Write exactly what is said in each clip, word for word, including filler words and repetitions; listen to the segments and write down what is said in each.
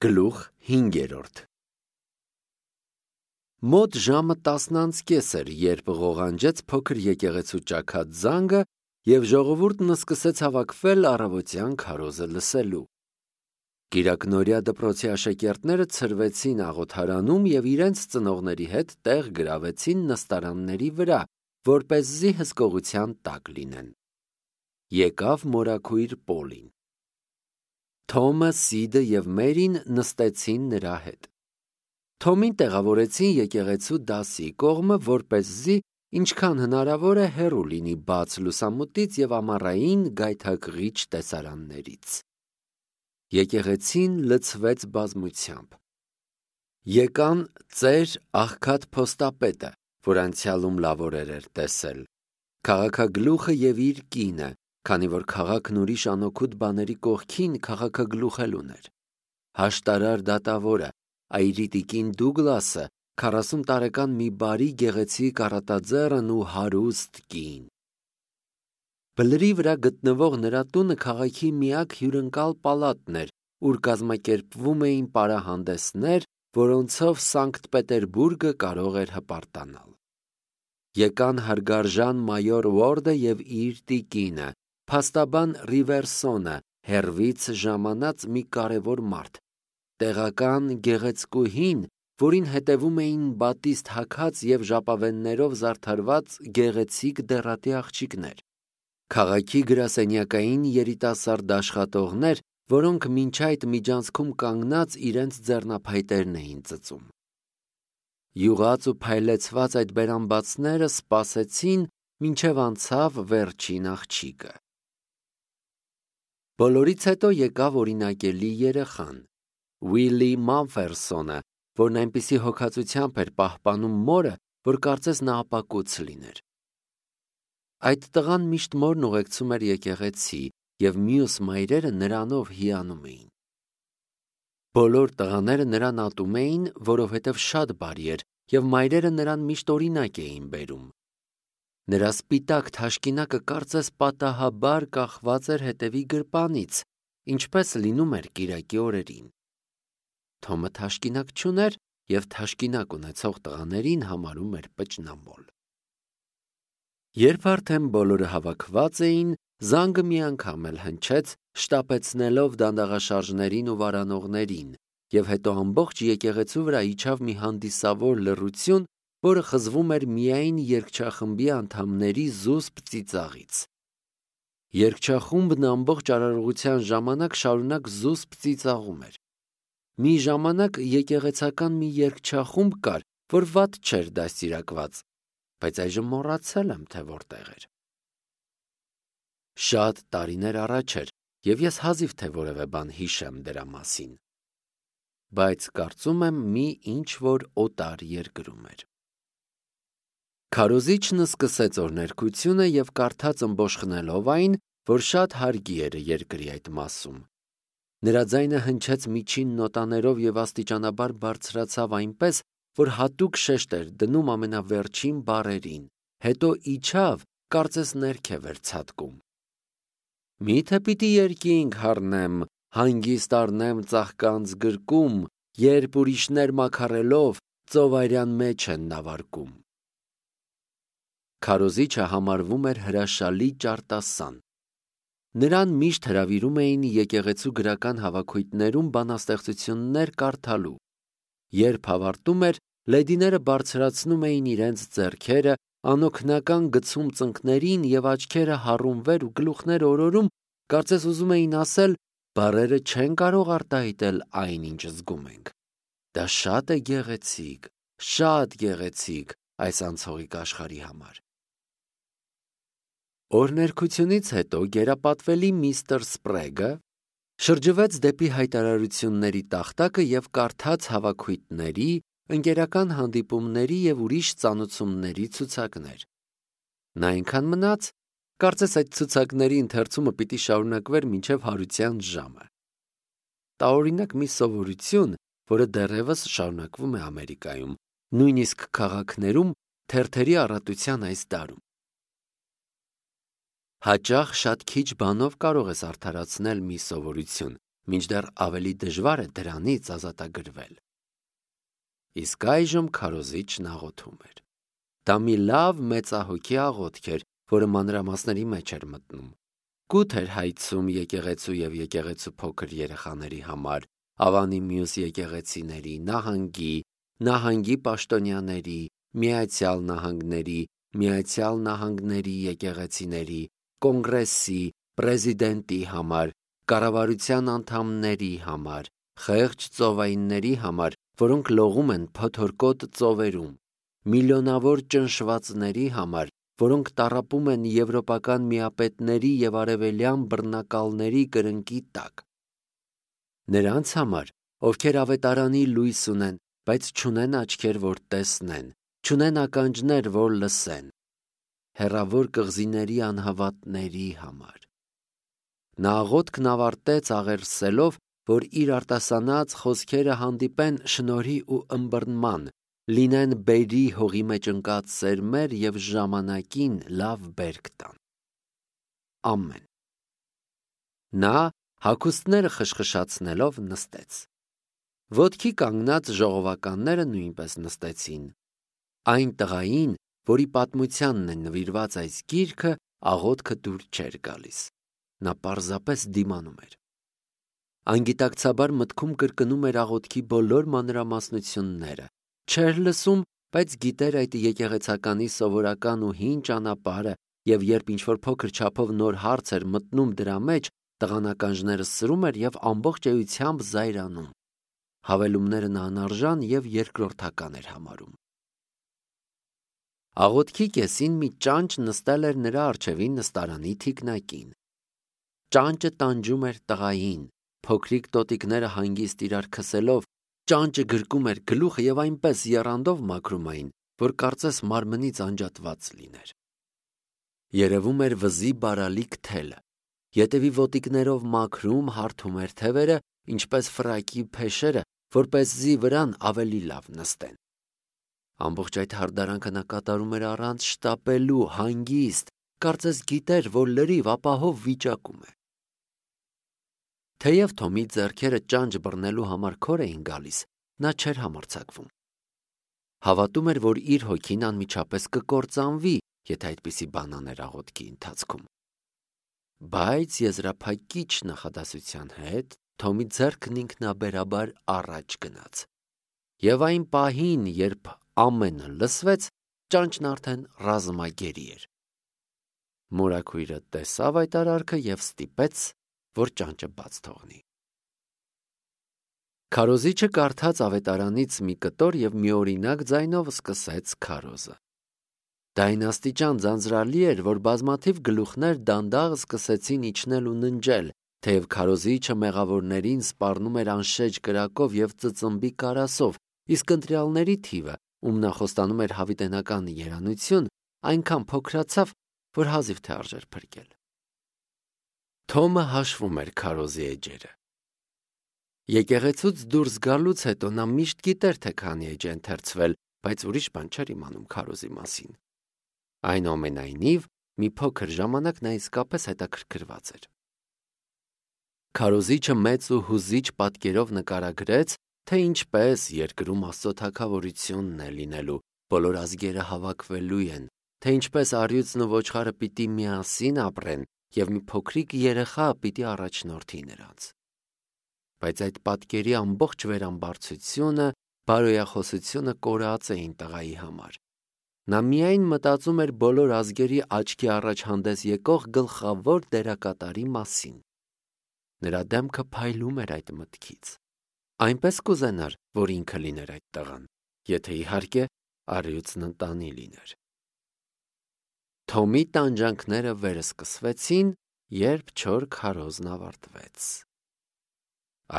Գլուխ հինգերորդ Մոտ ժամը տասն անց կես էր, երբ ղողանջեց փոքր եկեղեցու ճաքած զանգը և ժողովուրդն սկսեց հավաքվել առավոտյան քարոզը լսելու։ Կիրակնօրյա դպրոցի աշակերտները ցրվեցին աղոթարանում և իրենց ծնողների հետ տեղ գրավեցին նստարանների վրա, որպեսզի հսկողության տակ լինեն։ Եկավ մորաքույր Պոլին։ Թոմը, Սիդը և Մերին նստեցին նրա հետ։ Թոմին տեղավորեցին եկեղեցու դասի կողմը, որպեսզի ինչքան հնարավոր է հեռու լինի բաց լուսամուտից և ամառային գայթակղիչ տեսարաններից։ Եկեղեցին լցվեց բազմությամբ։ Եկան ծեր աղքատ փոստապետը, որ անցյալում լավ օրեր էր տեսել, քաղաքագլուխը և իր կինը, քանի որ քաղաքն ուրիշ անօգուտ բաների կողքին քաղաքագլուխ էլ ուներ, հաշտարար դատավորը, այրի Դուգլասը, քառասուն տարեկան մի բարի գեղեցիկ առատաձեռն ու հարուստ կին։ Բլրի վրա գտնվող նրա տունը քաղաքի միակ հյուրընկալ պալատն էր, ուր կազմակերպվում էին պարահանդեսներ, որոնցով Սանկտ Պետերբուրգը կարող էր հպարտանալ։ Եկան հարգարժան մայոր Ուորդը և իր տիկինը, փաստաբան Ռիվերսոնը, հեռվից ժամանած մի կարևոր մարդ, տեղական գեղեցկուհին, որին հետևում էին բատիստ հագած և ժապավեններով զարդարված գեղեցիկ դեռատի աղջիկներ, քաղաքի գրասենյակային երիտասարդ աշխատողներ, որոնք մինչ այդ միջանցքում կանգնած իրենց ձեռնափայտերն էին ծծում։ Յուղած ու փայլեցված այդ բերանբացները սպասեցին, մինչև անցավ վերջին աղջիկը։ Բոլորից հետո եկավ օրինակելի երեխան՝ Ուիլի Մամֆերսոնը, որն այնպիսի հոգածությամբ էր պահպանում մորը, որ կարծես նա ապակուց լիներ։ Այդ տղան միշտ մորն ուղեկցում էր եկեղեցի, և մյուս մայրերը նրանով հիանում էին։ Բոլոր տղաները նրան ատում էին, որովհետև շատ բարի էր, և մայրերը նրան միշտ օրինակ էին բերում։ Նրա սպիտակ թաշկինակը կարծես պատահաբար կախված էր հետևի գրպանից, ինչպես լինում էր կիրակի օրերին։ Թոմը թաշկինակ չուներ և թաշկինակ ունեցող տղաներին համարում էր պճնամոլ։ Երբ արդեն բոլորը հավաքված էին, զանգը մի անգամ էլ հնչեց, շտապեցնելով դանդաղաշարժներին ու վարանողներին, և հետո ամբողջ եկեղեցու վրա իջավ մի հանդիսավոր լռություն, որը խզվում էր միայն երգչախմբի անդամների զուսպ ծիծաղից։ Երգչախումբն ամբողջ արարողության ժամանակ շարունակ զուսպ ծիծաղում էր։ Մի ժամանակ եկեղեցական մի երգչախումբ կար, որ վատ չէր դաստիարակված, բայց այժմ մոռացել եմ, թե որտեղ էր։ Շատ տարիներ առաջ էր, և ես հազիվ թե որևէ բան հիշեմ դրա մասին, բայց կարծում եմ մի ինչ-որ օտար երկրում էր։ Քարոզիչն սկսեց օրհներգությունը և կարդաց ըմբոշխնելով այն, որ շատ հարգի էր երկրի այդ մասում։ Նրա ձայնը հնչեց միջին նոտաներով և աստիճանաբար բարձրացավ այնպես, որ հատուկ շեշտ էր դնում ամենավերջին բառերին, հետո իջավ, կարծես ներքև էր ցատկում։ Մի՞թե պիտի երկինք հառնեմ, հանգիստ առնեմ ծաղկանց գրկում, երբ ուրիշներ մաքարելով ծովարյան մեջ են նավարկում։ Քարոզիչը համարվում էր հրաշալի ճարտասան։ Նրան միշտ հրավիրում էին եկեղեցու գրական հավաքույթներում բանաստեղծություններ կարդալու։ Երբ ավարտում էր, լեդիները բարձրացնում էին իրենց ձեռքերը, անօգնական գցում ծնկներին և աչքերը հառում վեր ու գլուխները օրորում, կարծես ուզում էին ասել. «Բառերը չեն կարող արտահայտել այն, ինչ զգում ենք։ Դա շատ է գեղեցիկ, շատ գեղեցիկ այս անցողիկ աշխարհի համար»։ Օրհներգությունից հետո գերապատվելի միստր Սպրեգը շրջվեց դեպի հայտարարությունների տախտակը և կարդաց հավաքույթների, ընկերական հանդիպումների և ուրիշ ծանոթությունների ցուցակներ։ Նա այնքան մնաց, կարծես այդ ցուցակների ընթերցումը պիտի շարունակվեր մինչև հարության ժամը։ Տարօրինակ մի սովորություն, որը դեռևս շարունակվում է Ամերիկայում, նույնիսկ քաղաքներում թերթերի առատության այս դարում։ Հաճախ շատ քիչ բանով կարող ես արդարացնել մի սովորություն, մինչդեռ ավելի դժվար է դրանից ազատագրվել։ Իսկ այժմ քարոզիչն աղոթում էր։ Դա մի լավ մեծահոգի աղոթք էր, որը մանրամասների մեջ էր մտնում։ Կուտ էր հայցում եկեղեցու և եկեղեցու փոքր երեխաների համար, Ավանի մյուս եկեղեցիների, նահանգի, նահանգի պաշտոնյաների, Միացյալ Նահանգների, Միացյալ Նահանգների եկեղեցիների, կոնգրեսի, պրեզիդենտի համար, կառավարության անդամների համար, խեղճ ծովայինների համար, որոնք լողում են փոթորկոտ ծովերում, միլիոնավոր ճնշվածների համար, որոնք տառապում են եվրոպական միապետների և արևելյան բռնակալների կրնկի տակ։ Նրանց համար, ովքեր ավետարանի լույս ունեն, բայց չունեն աչքեր, որ տեսնեն, չունեն ականջներ, որ լսեն, հեռավոր կղզիների անհավատների համար։ Նա աղոթքն ավարտեց աղերսելով, որ իր արտասանած խոսքերը հանդիպեն շնորհի ու ըմբռնման, լինեն բերի հողի մեջ ընկած սերմեր և ժամանակին լավ բերք տան։ Ամեն։ Նա հագուստները խշխշացնելով նստեց։ Ոտքի կանգնած ժողովականները նույնպես նստեցին։ Այն տղային, որի պատմությանն է նվիրված այս գիրքը, աղոթքը դուր չէր գալիս։ Նա պարզապես դիմանում էր։ Անգիտակցաբար մտքում կրկնում էր աղոթքի բոլոր մանրամասնությունները, չէր լսում, բայց գիտեր այդ եկեղեցականի սովորական ու հին ճանապարհը, և երբ ինչ-որ փոքր չափով նոր հարց էր մտնում դրա մեջ, տղան ականջները սրում էր և ամբողջ էությամբ զայրանում։ Հավելումները նա անարժան և երկրորդական էր համարում։ Աղոթքի կեսին մի ճանճ նստել էր նրա առջևին նստարանի թիկնակին։ Ճանճը տանջում էր տղային, փոքրիկ տոտիկները հանգիստ իրար քսելով, ճանճը գրկում էր գլուխը և այնպես եռանդով մաքրում այն, որ կարծես մարմնից անջատված լիներ։ Երևում էր վզի բարալիկ թելը, ետևի ոտիկներով մաքրում, հարթում էր թևերը, ինչպես ֆրակի փեշերը, որպեսզի վրան ավելի լավ նստեն։ Ամբողջ այդ հարդարանքը նա կատարում էր առանց շտապելու, հանգիստ, կարծես գիտեր, որ լրիվ ապահով վիճակում է։ Թեև Թոմի ձեռքերը ճանճ բռնելու համար քոր էին գալիս, նա չէր համարձակվում։ Հավատում էր, որ իր հոգին անմիջապես կկործանվի, եթե այդպիսի բան աներ աղոթքի ընթացքում։ Բայց եզրափակիչ նախադասության հետ Թոմի ձեռքն ինքնաբերաբար առաջ գնաց։ Եվ այն պահին, երբ ամենը լսվեց, ճանճն արդեն ռազմագերի էր։ Մորաքույրը տեսավ այդ արարքը և ստիպեց, որ ճանճը բաց թողնի։ Քարոզիչը կարդաց ավետարանից մի կտոր և միօրինակ ձայնով սկսեց քարոզը։ Դա այն աստիճան ձանձրալի էր, որ բազմաթիվ գլուխներ դանդաղ սկսեցին իջնել ու ննջել, թեև քարոզիչը մեղավորներին սպառնում էր անշեջ կրակով և ծծմբի կարասով, իսկ ընտրյալների թիվը, ում նա խոստանում էր հավիտենական երանություն, այնքան փոքրացավ, որ հազիվ թե արժեր փրկել։ Թոմը հաշվում էր քարոզի էջերը։ Եկեղեցուց դուրս գալուց հետո նա միշտ գիտեր, թե քանի էջ է ընթերցվել, բայց ուրիշ բան չէր իմանում քարոզի մասին։ Այնուամենայնիվ, մի փոքր ժամանակ նա իսկապես հետաքրքրված էր։ Քարոզիչը մեծ ու հուզիչ պատկերով նկարագրեց, թե ինչպես երկրում Աստծո թագավորությունն է լինելու, բոլոր ազգերը հավաքվելու են, թե ինչպես առյուծն ու ոչխարը պիտի միասին ապրեն, և մի փոքրիկ երեխա պիտի առաջնորդի նրանց։ Բայց այդ պատկերի ամբողջ վերամբարձությունը, բարոյախոսությունը կորած էին տղայի համար։ Նա միայն մտածում էր բոլոր ազգերի աչքի առաջ հանդես եկող գլխավոր դերակատարի մասին։ Նրա դեմքը փայլում էր այդ մտքից։ Այնպես կուզենար, որ ինքը լիներ այդ տղան, եթե իհարկե առյուծն ընտանի լիներ։ Թոմի տանջանքները վերսկսվեցին, երբ չոր քարոզն ավարտվեց։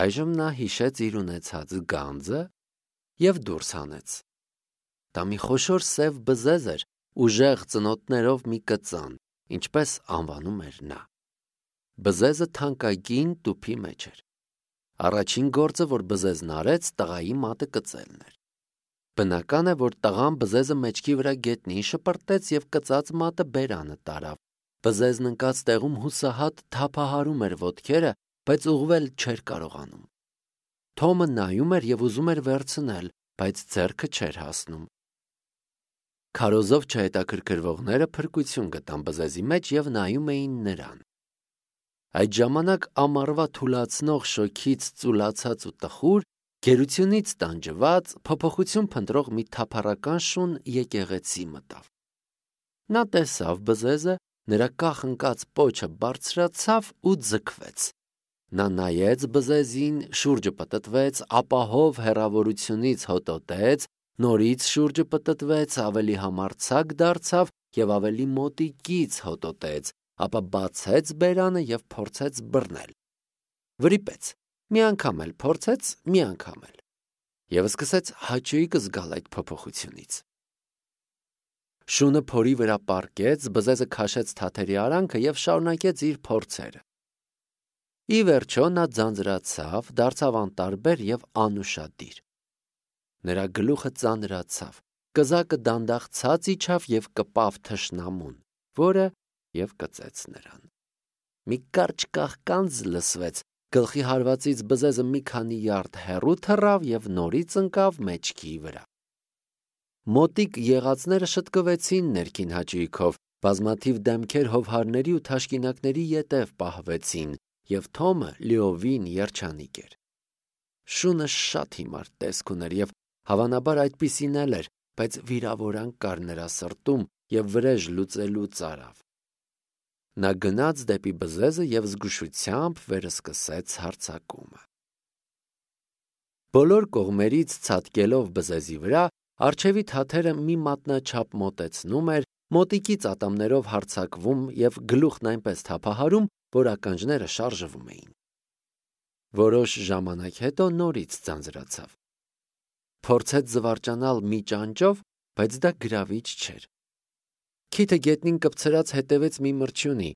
Այժմ նա հիշեց իր ունեցած գանձը և դուրս հանեց։ Դա մի խոշոր սև բզեզ էր, ուժեղ ծնոտներով մի կծան, ինչպես անվանում էր նա։ Բզեզը թանկագին տուփի մեջ էր։ Առաջին գործը, որ բզեզն արեց, տղայի մատը կծելն էր։ Բնական է, որ տղան բզեզը մեջքի վրա գետնին շպրտեց և կծած մատը բերանը տարավ։ Բզեզն ընկած տեղում հուսահատ թափահարում էր ոտքերը, բայց ուղղվել չէր կարողանում։ Թոմը նայում էր և ուզում էր վերցնել, բայց ձեռքը չէր հասնում։ Քարոզով չհետաքրքրվողները փրկություն գտան բզեզի մեջ և նայում էին նրան։ Այդ ժամանակ ամառվա թուլացնող շոգից ծուլացած ու տխուր, գերությունից տանջված, փոփոխություն փնտրող մի թափառական շուն եկեղեցի մտավ։ Նա տեսավ բզեզը, նրա կախ ընկած պոչը բարձրացավ ու ձգվեց։ Նա նայեց բզեզին, շուրջը պտտվեց, ապահով հեռավորությունից հոտոտեց, նորից շուրջը պտտվեց, ավելի համարձակ դարձավ և ավելի մոտիկից հոտոտեց, ապա բացեց բերանը և փորձեց բռնել։ Վրիպեց, մի անգամ էլ փորձեց, մի անգամ էլ, և սկսեց հաճույք զգալ այդ փոփոխությունից։ Շունը փորի վրա պառկեց, բզեզը քաշեց թաթերի արանքը և շարունակեց իր փորձերը։ Ի վերջո նա ձանձրացավ, դարձավ անտարբեր և անուշադիր։ Նրա գլուխը ծանրացավ, կզակը դանդաղ ցած իջավ և կպավ թշնամուն, որը և կծեց նրան։ Մի կարճ կաղկանց լսվեց, գլխի հարվածից բզեզը մի քանի յարդ հեռու թռավ և նորից ընկավ մեջքի վրա։ Մոտիկ եղածները շտկվեցին ներքին հաճույքով, բազմաթիվ դեմքեր հովհարների ու թաշկինակների ետև պահվեցին, և Թոմը լիովին երջանիկ էր։ Շունը շատ հիմար տեսք ուներ և հավանաբար այդպիսին էլ էր, բայց վիրավորանք կար նրա սրտում և վրեժ լուծելուց արավ։ Նա գնաց դեպի բզեզը և զգուշությամբ վերսկսեց հարձակումը։ Բոլոր կողմերից ցատկելով բզեզի վրա, առջևի թաթերը մի մատնաչափ մոտեցնում էր, մոտիկից ատամներով հարձակվում և գլուխն այնպես թափահարում, որ ականջները շարժվում էին։ Որոշ ժամանակ հետո նորից ձանձրացավ։ Փորձեց զվարճանալ մի ճանճով, բայց դա գրավիչ չէր։ Քիթը գետնին կպցրած հետևեց մի մրջյունի,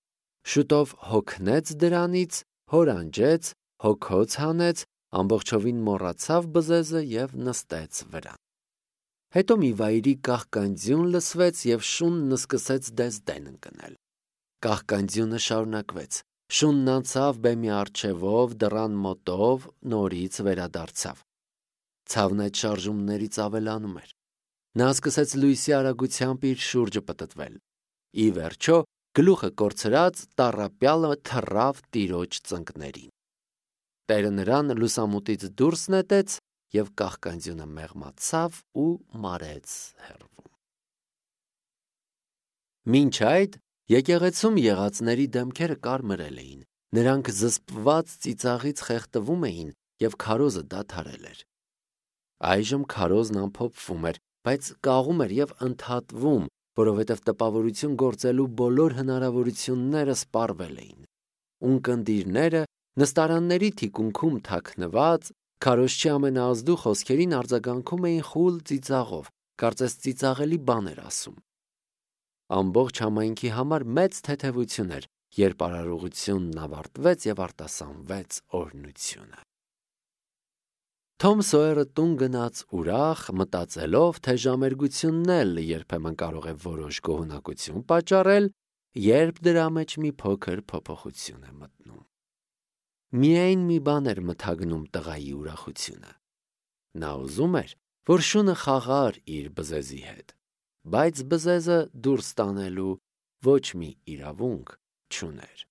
շուտով հոգնեց դրանից, հորանջեց, հոգոց հանեց, ամբողջովին մոռացավ բզեզը և նստեց վրան։ Հետո մի վայրի կաղկանձյուն լսվեց և շունն սկսեց դեսդեն ընկնել։ Կաղկանձյունը շարունակվեց։ Շունն անցավ բեմի առջևով, դռան մոտով, նորից վերադարձավ։ Ցավն այդ շարժումներից ավելանում էր։ Նա սկսեց լույսի արագությամբ իր շուրջը պտտվել։ Ի վերջո, գլուխը կորցրած, տառապյալը թռավ տիրոջ ծնկներին։ Տերը նրան լուսամուտից դուրս նետեց և կաղկանձյունը մեղմացավ ու մարեց հեռվում։ Մինչ այդ եկեղեցում եղածների դեմքերը կարմրել էին, նրանք զսպված ծիծաղից խեղդվում էին և քարոզը դադարել էր։ Այժմ քարոզն ամփոփվում էր, բայց կաղում էր և ընդհատվում, որովհետև տպավորություն գործելու բոլոր հնարավորությունները սպառվել էին։ Ունկնդիրները նստարանների թիկունքում թաքնված, քարոզչի ամենաազդու խոսքերին արձագանքում էին խուլ ծիծաղով, կարծես ծիծաղելի բան էր ասում։ Ամբողջ համայնքի համար մեծ թեթևություն էր, երբ արարողությունն ավարտվեց և արտասանվեց օրհնությունը։ Թոմ Սոյերը տուն գնաց ուրախ, մտածելով, թե ժամերգությունն էլ երբեմն կարող է որոշ գոհունակություն պատճառել, երբ դրա մեջ մի փոքր փոփոխություն է մտնում։ Միայն մի բան էր մթագնում տղայի ուրախությունը։ Նա ուզում էր, որ շունը խաղար իր բզեզի հետ, բայց բզեզը դուրս տանելու ոչ մի իրավունք չուներ։